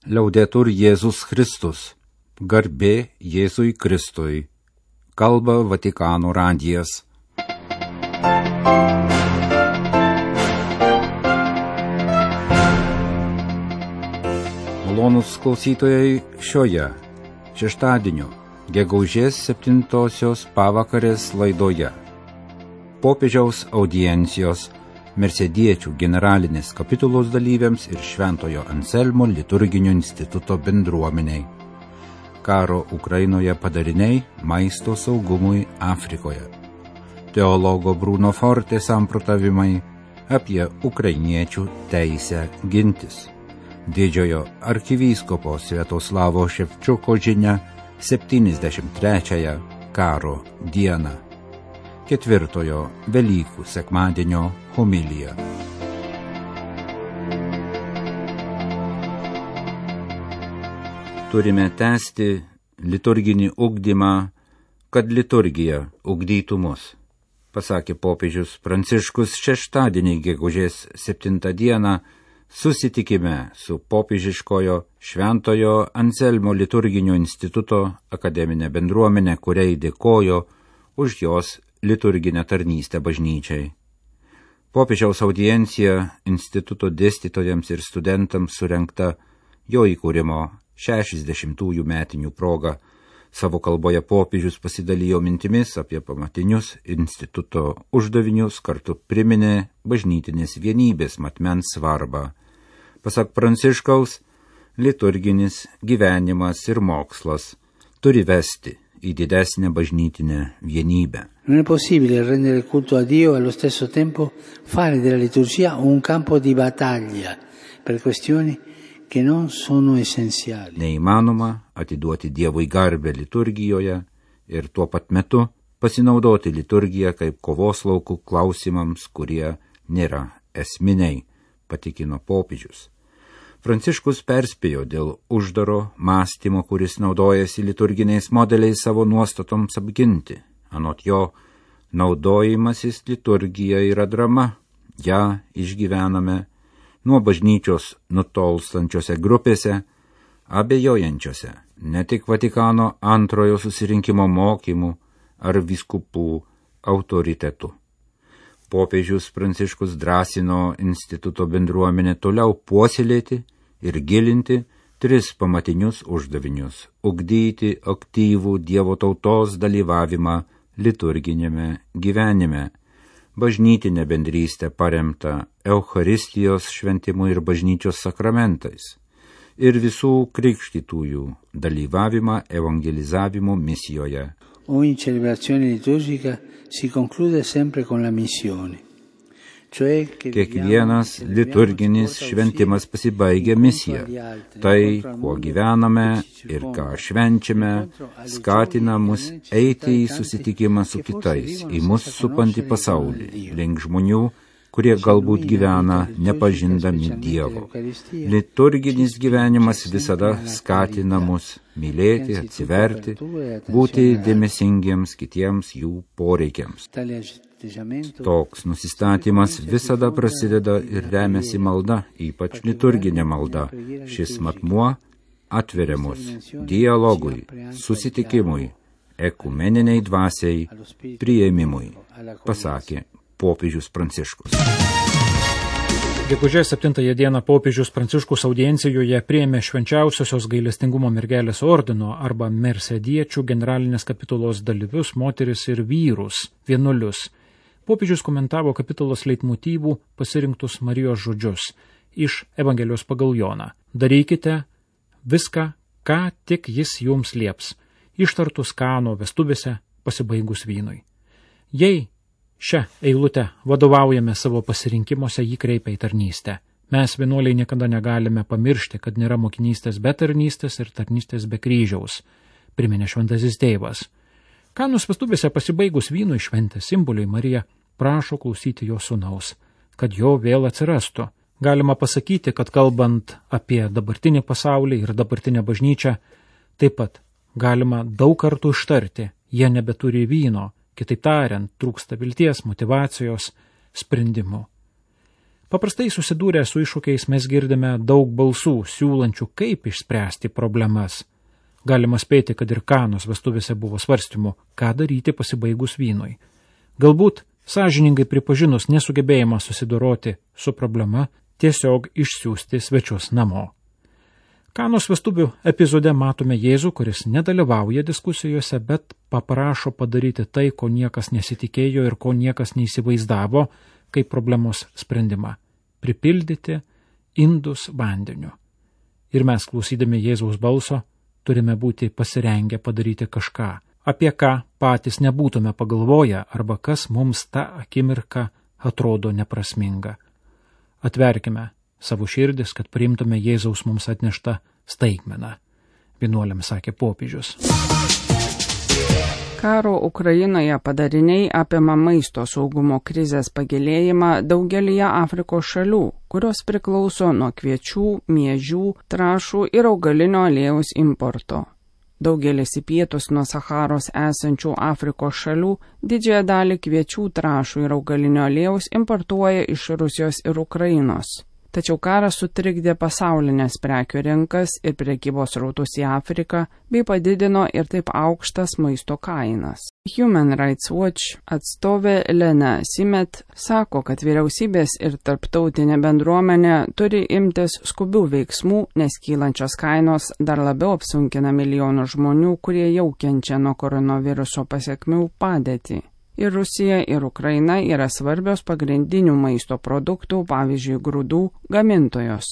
Liaudetur Jėzus Kristus. Garbė Jėzui Kristui. Kalba Vatikano radijas. Malonūs klausytojai, šioje šeštadienio gegužės 7-osios pavakarės laidoje popiežiaus audiencijos Mersediečių generalinės kapitulos dalyviams ir Šventojo Anselmo liturginio instituto bendruomeniai. Karo Ukrainoje padariniai maisto saugumui Afrikoje. Teologo Bruno Forte samprotavimai apie ukrainiečių teisę gintis. Didžiojo arkivyskupo Sviatoslavo Ševčiuko žinia 73-ąją karo dieną. Ketvirtojo Velykų sekmadienio homilija. Turime tęsti liturginį ugdymą, kad liturgija ugdytų mus, pasakė popiežius Pranciškus šeštadienį gegužės 7 dieną susitikime su popiežiškojo Šventojo Anselmo liturginio instituto akademinė bendruomenė, kuriai dėkojo už jos liturginę tarnystę bažnyčiai. Popiežiaus audiencija instituto dėstytojams ir studentams surengta jo įkūrimo 60-ųjų metinių proga. Savo kalboje popiežius pasidalijo mintimis apie pamatinius instituto uždavinius, kartu priminė bažnytinės vienybės matmens svarbą. Pasak Pranciškaus, liturginis gyvenimas ir mokslas turi vesti į didesnę bažnytinę vienybę. Non è possibile rendere il culto a Dio e allo stesso tempo fare della liturgia un campo di battaglia per questioni che non sono essenziali. Neįmanoma atiduoti Dievui garbę liturgijoje ir tuo pat metu pasinaudoti liturgiją kaip kovos laukų klausimams, kurie nėra esminiai, patikino popiežius. Pranciškus perspėjo dėl uždaro mąstymo, kuris naudojasi liturginiais modeliais savo nuostatoms apginti. Anot jo, naudojimasis liturgija yra drama. Ja išgyvename nuo bažnyčios nutolstančiose grupėse, abejojančiose ne tik Vatikano antrojo susirinkimo mokymų ar vyskupų autoritetų. Popiežius Pranciškus drąsino instituto bendruomenę toliau puoselėti ir gilinti 3 pamatinius uždavinius – ugdyti aktyvų Dievo tautos dalyvavimą liturginėme gyvenime, bažnytinę bendrystę paremtą Eucharistijos šventimu ir bažnyčios sakramentais ir visų krikštytųjų dalyvavimą evangelizavimo misijoje. Ogni celebrazione liturgica si conclude sempre con la missione. Kiekvienas liturginis šventimas pasibaigia misija. Tai, kuo gyvename ir ką švenčiame, skatina mus eiti į susitikimą su kitais, į mus supantį pasaulį, link žmonių, kurie galbūt gyvena nepažindami Dievo. Liturginis gyvenimas visada skatina mus mylėti, atsiverti, būti dėmesingiems kitiems jų poreikiams. Toks nusistatymas visada prasideda ir remiasi malda, ypač liturginė malda. Šis matmuo atveria mus dialogui, susitikimui, ekumeniniai dvasiai, priėmimui, pasakė popiežius Pranciškus. Gegužės 7 dieną popiežius Pranciškus audiencijoje priėmė Švenčiausiosios gailestingumo mergelės ordino arba Mersediečių generalinės kapitulos dalyvius, moteris ir vyrus, vienuolius. Popiežius komentavo kapitulos leitmotyvų pasirinktus Marijos žodžius iš Evangelijos pagal Joną. Darykite viską, ką tik jis jums lieps, ištartus Kano vestuvėse pasibaigus vynui. Jei šią eilutę vadovaujame savo pasirinkimuose, jį kreipia į tarnystę. Mes vienuoliai niekada negalime pamiršti, kad nėra mokinystės be tarnystės ir tarnystės be kryžiaus, priminė šventasis tėvas. Kanos vestuvėse pasibaigus vynui šventės simboliui Marija prašo klausyti jo sūnaus, kad jo vėl atsirastų. Galima pasakyti, kad kalbant apie dabartinį pasaulį ir dabartinę bažnyčią, taip pat galima daug kartų ištarti, jie nebeturi vyno, kitaip tariant, trūksta vilties, motyvacijos, sprendimų. Paprastai susidūrę su iššūkiais mes girdime daug balsų, siūlančių, kaip išspręsti problemas. Galima spėti, kad ir Kanos vestuvėse buvo svarstymų, ką daryti pasibaigus vynui. Galbūt, sąžiningai pripažinus nesugebėjimą susidoroti su problema, tiesiog išsiųsti svečius namo. Kanos vestuvių epizode matome Jėzų, kuris nedalyvauja diskusijose, bet paprašo padaryti tai, ko niekas nesitikėjo ir ko niekas neįsivaizdavo, kaip problemos sprendimą – pripildyti indus vandeniu. Ir mes, klausydami Jėzaus balso, turime būti pasirengę padaryti kažką, apie ką patys nebūtume pagalvoję arba kas mums tą akimirką atrodo neprasminga. Atverkime savo širdis, kad priimtume Jėzaus mums atneštą staigmeną, vienuoliams sakė popiežius. Karo Ukrainoje padariniai apima maisto saugumo krizės pagilėjimą daugelyje Afrikos šalių, kurios priklauso nuo kviečių, miežių, trąšų ir augalinio aliejaus importo. Daugelis į pietus nuo Saharos esančių Afrikos šalių didžiąją dalį kviečių, trąšų ir augalinio aliejaus importuoja iš Rusijos ir Ukrainos. Tačiau karas sutrikdė pasaulinės prekių rinkas ir prekybos srautus į Afriką, bei padidino ir taip aukštas maisto kainas. Human Rights Watch atstovė Lena Simet sako, kad vyriausybės ir tarptautinė bendruomenė turi imtis skubių veiksmų, nes kylančios kainos dar labiau apsunkina milijonų žmonių, kurie jau kenčia nuo koronaviruso pasekmių padėtį. Ir Rusija, ir Ukraina yra svarbios pagrindinių maisto produktų, pavyzdžiui, grūdų, gamintojos.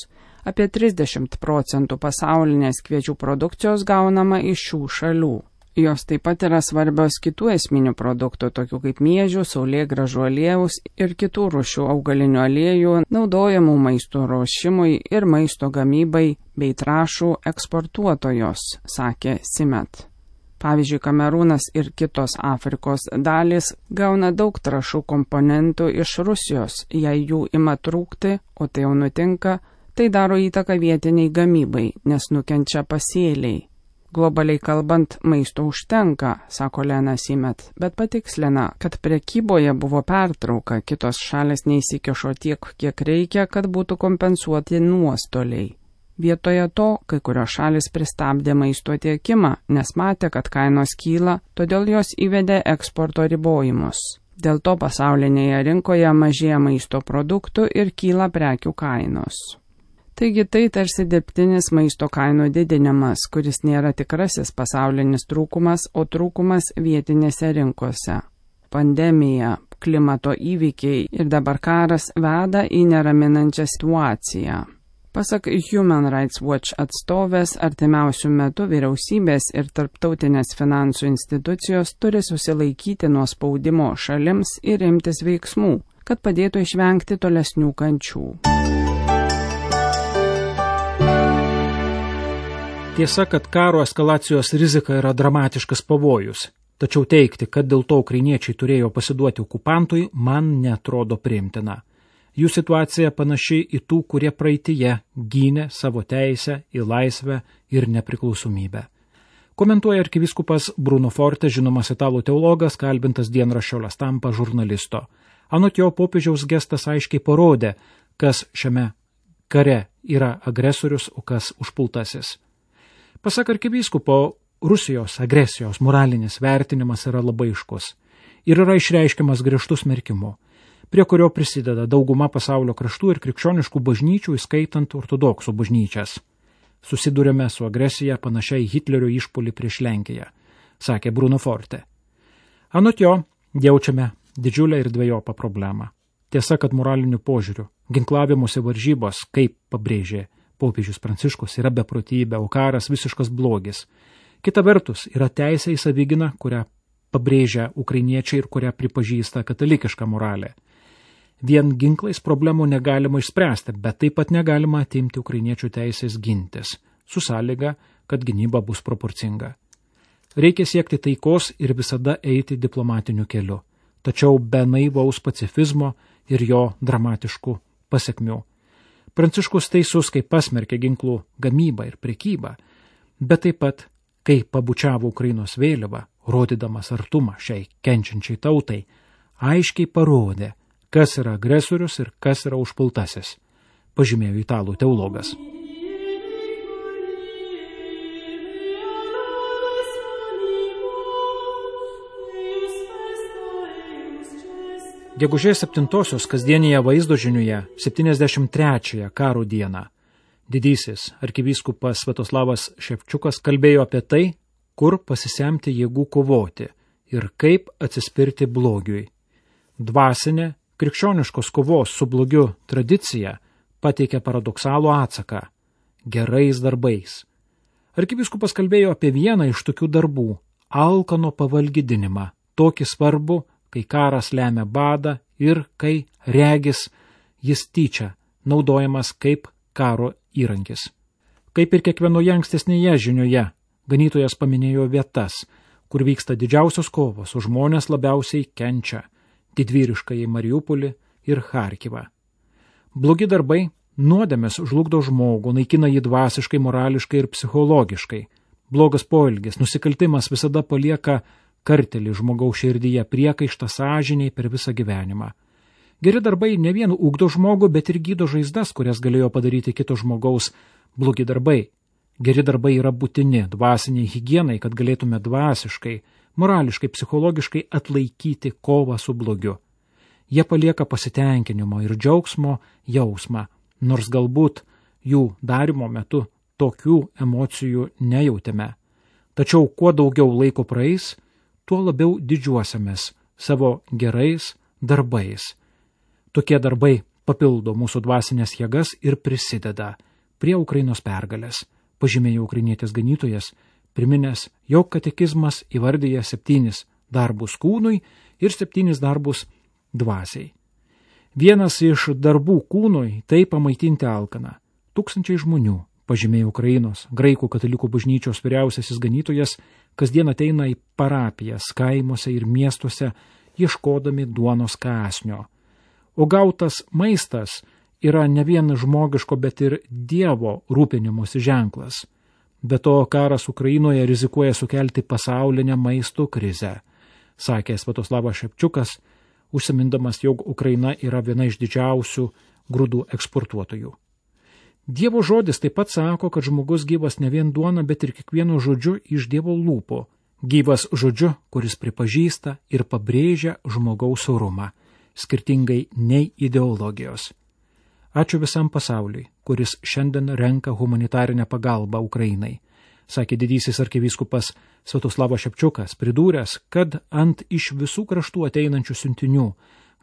Apie 30% pasaulinės kviečių produkcijos gaunama iš šių šalių. Jos taip pat yra svarbios kitų esminių produktų, tokių kaip miežių, saulėgrąžų aliejaus ir kitų rūšių augalinių aliejų, naudojamų maisto ruošimui ir maisto gamybai bei trąšų eksportuotojos, sakė Simet. Pavyzdžiui, Kamerūnas ir kitos Afrikos dalys gauna daug trąšų komponentų iš Rusijos. Jei jų ima trūkti, o tai jau nutinka, tai daro įtaką vietiniai gamybai, nes nukenčia pasėliai. Globaliai kalbant, maisto užtenka, sako Lena Simet, bet patikslina, kad prekyboje buvo pertrauka, kitos šalys neįsikišo tiek, kiek reikia, kad būtų kompensuoti nuostoliai. Vietoje to, kai kurios šalis pristabdė maisto tiekimą, nes matė, kad kainos kyla, todėl jos įvedė eksporto ribojimus. Dėl to pasaulinėje rinkoje mažėja maisto produktų ir kyla prekių kainos. Taigi tai tarsi dirbtinis maisto kainų didinimas, kuris nėra tikrasis pasaulinis trūkumas, o trūkumas vietinėse rinkose. Pandemija, klimato įvykiai ir dabar karas veda į neraminančią situaciją. Pasak Human Rights Watch atstovės, artimiausių metų vyriausybės ir tarptautinės finansų institucijos turi susilaikyti nuo spaudimo šalims ir imtis veiksmų, kad padėtų išvengti tolesnių kančių. Tiesa, kad karo eskalacijos rizika yra dramatiškas pavojus, tačiau teigti, kad dėl to ukrainiečiai turėjo pasiduoti okupantui, man neatrodo priimtina. Jų situacija panaši į tų, kurie praeityje gynė savo teisę į laisvę ir nepriklausomybę. Komentuoja arkivyskupas Bruno Forte, žinomas italų teologas, kalbintas dienraščio La Stampa žurnalisto. Anot jo, popiežiaus gestas aiškiai parodė, kas šiame kare yra agresorius, o kas užpultasis. Pasak arkivyskupo, Rusijos agresijos moralinis vertinimas yra labai aiškus ir yra išreiškiamas griežtų smerkimu, prie kurio prisideda dauguma pasaulio kraštų ir krikščioniškų bažnyčių, įskaitant ortodoksų bažnyčias. Susidurėme su agresija panašiai Hitlerio išpuolį prieš Lenkiją, sakė Bruno Forte. Anot jo, jaučiame didžiulę ir dvejopą problemą. Tiesa, kad moraliniu požiūriu ginklavimuose varžybos, kaip pabrėžė popiežius Pranciškus, yra beprotybė, o karas visiškas blogis. Kita vertus, yra teisė į savigyną, kurią pabrėžia ukrainiečiai ir kurią pripažįsta katalikiška moralė. Vien ginklais problemų negalima išspręsti, bet taip pat negalima atimti ukrainiečių teisės gintis, su sąlyga, kad gynyba bus proporcinga. Reikia siekti taikos ir visada eiti diplomatiniu keliu, tačiau be naivaus pacifizmo ir jo dramatiškų pasekmių. Pranciškus teisus, kai pasmerkė ginklų gamybą ir prekybą, bet taip pat, kai pabučiavo Ukrainos vėliavą, rodydamas artumą šiai kenčiančiai tautai, aiškiai parodė, kas yra agresorius ir kas yra užpultasis, pažymėjo italų teologas. Gegužės 7-osios kasdienėje vaizdo žiniuje 73-ąją karo dieną didysis arkivyskupas Sviatoslavas Ševčiukas kalbėjo apie tai, kur pasisemti jėgų kovoti ir kaip atsispirti blogiui. Dvasinė, krikščioniškos kovos su blogiu tradicija pateikė paradoksalų atsaką – gerais darbais. Arkivyskupas kalbėjo apie vieną iš tokių darbų – alkano pavalgydinimą, tokį svarbų, kai karas lemia badą ir kai regis jis tyčia naudojamas kaip karo įrankis. Kaip ir kiekvienoje ankstesnėje žinioje, ganytojas paminėjo vietas, kur vyksta didžiausios kovos, o žmonės labiausiai kenčia – didvyriškąjį Mariupolį ir Charkivą. Blogi darbai nuodėmės žlugdo žmogų, naikina jį dvasiškai, morališkai ir psichologiškai. Blogas poelgis, nusikaltimas visada palieka kartelį žmogaus širdyje, priekaištą sąžiniai per visą gyvenimą. Geri darbai ne vien ugdo žmogų, bet ir gydo žaizdas, kurias galėjo padaryti kito žmogaus blogi darbai. Geri darbai yra būtini dvasiniai higienai, kad galėtume dvasiškai, morališkai, psichologiškai atlaikyti kovą su blogiu. Jie palieka pasitenkinimo ir džiaugsmo jausmą, nors galbūt jų darimo metu tokių emocijų nejautėme. Tačiau kuo daugiau laiko praeis, tuo labiau didžiuosimės savo gerais darbais. Tokie darbai papildo mūsų dvasinės jėgas ir prisideda prie Ukrainos pergalės, pažymėjo ukrainietis ganytojas, priminęs, jog katekizmas įvardyja 7 darbus kūnui ir 7 darbus dvasiai. Vienas iš darbų kūnui tai pamaitinti alkaną. 1000 žmonių, pažymėjo Ukrainos graikų katalikų bažnyčios vyriausiasis ganytojas, kasdien ateina į parapijas, kaimuose ir miestuose, ieškodami duonos kąsnio. O gautas maistas yra ne vien žmogiško, bet ir Dievo rūpinimosi ženklas. Be to, karas Ukrainoje rizikuoja sukelti pasaulinę maisto krizę, sakė Sviatoslavas Ševčiukas, užsimindamas, jog Ukraina yra viena iš didžiausių grūdų eksportuotojų. Dievo žodis taip pat sako, kad žmogus gyvas ne vien duona, bet ir kiekvienu žodžiu iš Dievo lūpų. Gyvas žodžiu, kuris pripažįsta ir pabrėžia žmogaus orumą, skirtingai nei ideologijos. Ačiū visam pasauliui, kuris šiandien renka humanitarinę pagalbą Ukrainai, sakė didysis arkivyskupas Sviatoslavas Ševčiukas, pridūręs, kad ant iš visų kraštų ateinančių siuntinių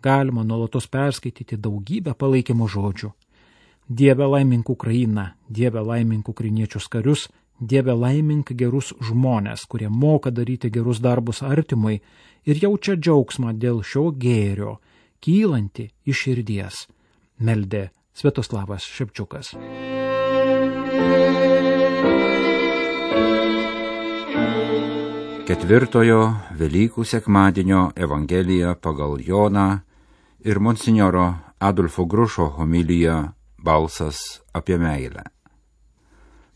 galima nuolatos perskaityti daugybę palaikymo žodžių. Dieve laimink Ukrainą, Dieve laimink ukrainiečius karius, Dieve laimink gerus žmonės, kurie moka daryti gerus darbus artimui ir jaučia džiaugsmą dėl šio gėrio, kylanti iš širdies, meldė Sviatoslavas Ševčiukas. Ketvirtojo Velykų sekmadienio Evangelija pagal Joną ir monsinjoro Adolfo Grušo homilija Balsas apie meilę.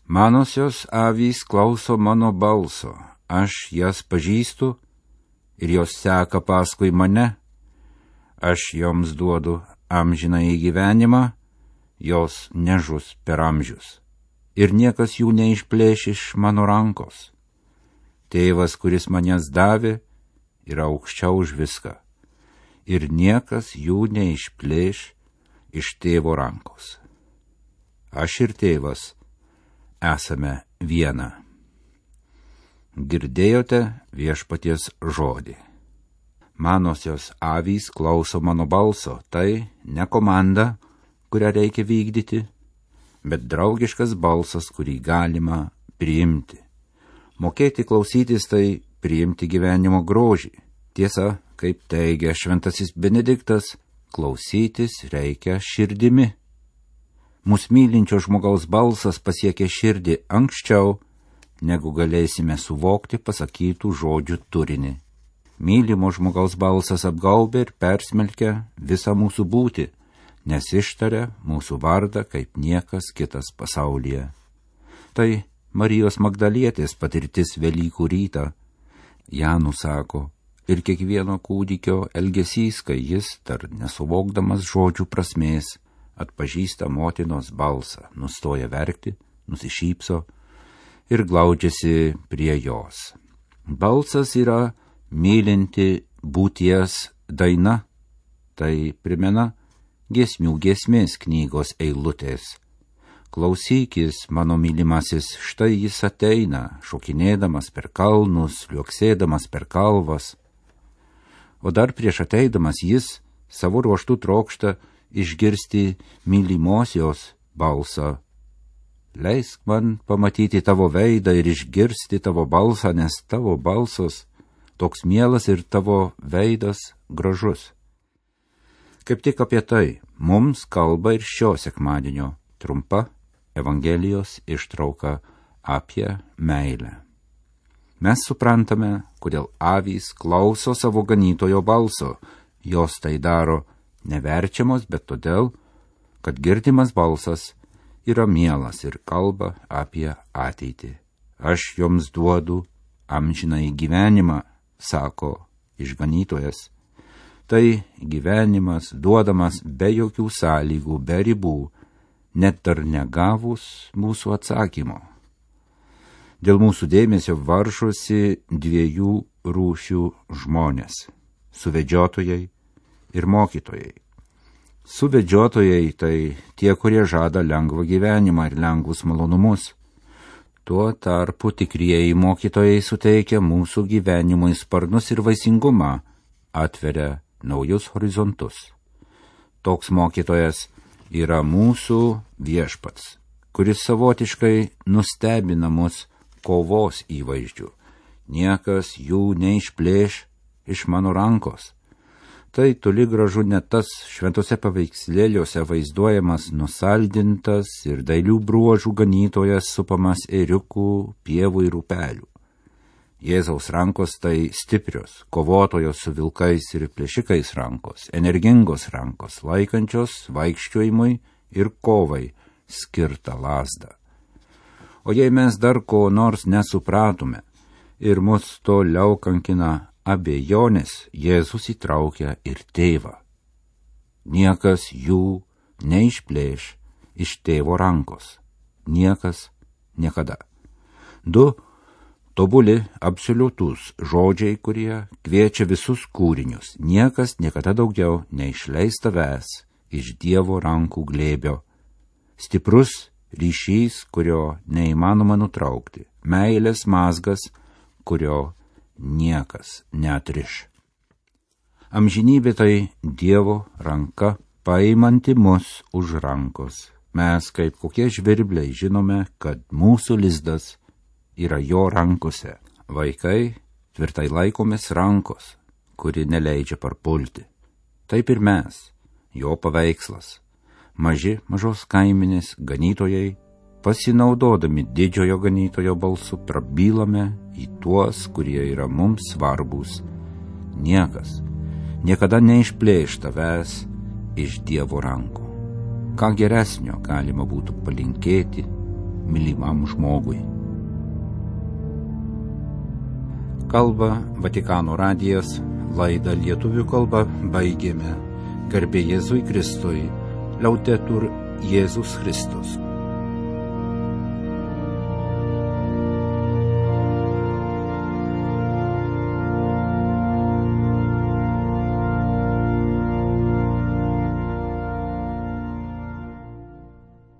Manosios avys klauso mano balso, aš jas pažįstu ir jos seka paskui mane. Aš joms duodu amžinąjį gyvenimą, jos nežus per amžius. Ir niekas jų neišplėš iš mano rankos. Tėvas, kuris manęs davė, yra aukščiau už viską. Ir niekas jų neišplėš iš tėvo rankos. Aš ir tėvas esame viena. Girdėjote viešpaties žodį. Manosios avys klauso mano balso, tai ne komanda, kurią reikia vykdyti, bet draugiškas balsas, kurį galima priimti. Mokėti klausytis tai priimti gyvenimo grožį. Tiesa, kaip teigia šventasis Benediktas, klausytis reikia širdimi. Mūsų mylinčio žmogaus balsas pasiekia širdį anksčiau, negu galėsime suvokti pasakytų žodžių turinį. Mylimo žmogaus balsas apgaubia ir persmelkia visą mūsų būtį, nes ištaria mūsų vardą kaip niekas kitas pasaulyje. Tai Marijos Magdalietės patirtis Velykų rytą. Ją nusako ir kiekvieno kūdikio elgesys, kai jis, dar nesuvokdamas žodžių prasmės, atpažįsta motinos balsą, nustoja verkti, nusišypso ir glaudžiasi prie jos. Balsas yra mylinti būties daina, tai primena giesmių giesmės knygos eilutės. Klausykis, mano mylimasis, štai jis ateina, šokinėdamas per kalnus, liuoksėdamas per kalvas. O dar prieš ateidamas jis savo ruožtu trokšta išgirsti mylimosios balsą. Leisk man pamatyti tavo veidą ir išgirsti tavo balsą, nes tavo balsas toks mielas ir tavo veidas gražus. Kaip tik apie tai mums kalba ir šio sekmadienio trumpa Evangelijos ištrauka apie meilę. Mes suprantame, kodėl avys klauso savo ganytojo balso. Jos tai daro neverčiamos, bet todėl, kad girdimas balsas yra mielas ir kalba apie ateitį. Aš joms duodu amžinąjį gyvenimą, sako išganytojas. Tai gyvenimas duodamas be jokių sąlygų, be ribų, net dar negavus mūsų atsakymo. Dėl mūsų dėmesio varžosi dviejų rūšių žmonės – suvedžiotojai ir mokytojai. Suvedžiotojai tai tie, kurie žada lengvą gyvenimą ir lengvus malonumus. Tuo tarpu tikrieji mokytojai suteikia mūsų gyvenimui sparnus ir vaisingumą, atveria naujus horizontus. Toks mokytojas yra mūsų viešpats, kuris savotiškai nustebina mus kovos įvaizdžių. Niekas jų neišplėš iš mano rankos. Tai toli gražu ne tas šventose paveikslėliuose vaizduojamas nusaldintas ir dailių bruožų ganytojas supamas ėriukų, pievų ir upelių. Jėzaus rankos tai stiprios, kovotojos su vilkais ir plėšikais rankos, energingos rankos, laikančios vaikščiojimui ir kovai skirtą lazdą. O jei mes dar ko nors nesupratome ir mus toliau kankina abejonės, Jėzus įtraukia ir tėvą. Niekas jų neišplėš iš tėvo rankos. Niekas niekada. Du tobuli absoliutus žodžiai, kurie kviečia visus kūrinius. Niekas niekada daugiau neišleis tavęs iš Dievo rankų glėbio. Stiprus ryšys, kurio neįmanoma nutraukti. Meilės mazgas, kurio niekas neatriš. Amžinybė tai Dievo ranka, paimanti mus už rankos. Mes kaip kokie žvirbliai žinome, kad mūsų lizdas yra jo rankose. Vaikai tvirtai laikomės rankos, kuri neleidžia parpulti. Taip ir mes, jo paveikslas. Mažos kaiminės ganytojai, pasinaudodami didžiojo ganytojo balsu, prabylame į tuos, kurie yra mums svarbus. Niekas niekada neišplėš tavęs iš Dievo rankų. Ką geresnio galima būtų palinkėti mylimam žmogui. Kalba Vatikano radijas, laidą lietuvių kalba baigėme. Garbė Jėzui Kristui, Laudetur Jėzus Kristus.